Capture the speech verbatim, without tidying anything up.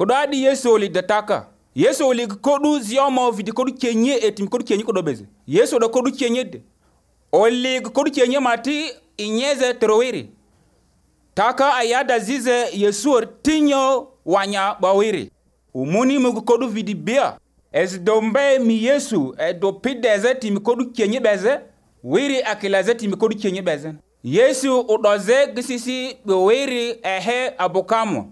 Kodo adi Yesu oli dataka. Yesu oli kodu ziyoma vidi kodu kenye etim kodu kenye kodo beze. Yesu do kodu kenye de. Oli kodu kenye mati inyeze terowiri. Taka ayada zize Yesu tinyo wanya bawiri. Umuni mugu kodu vidi bia. Ez dombe mi Yesu e do pideze timi kodu kenye beze. Wiri akilaze timi kodu kenye beze. Yesu udoze gisisi wiri ehe abukamo.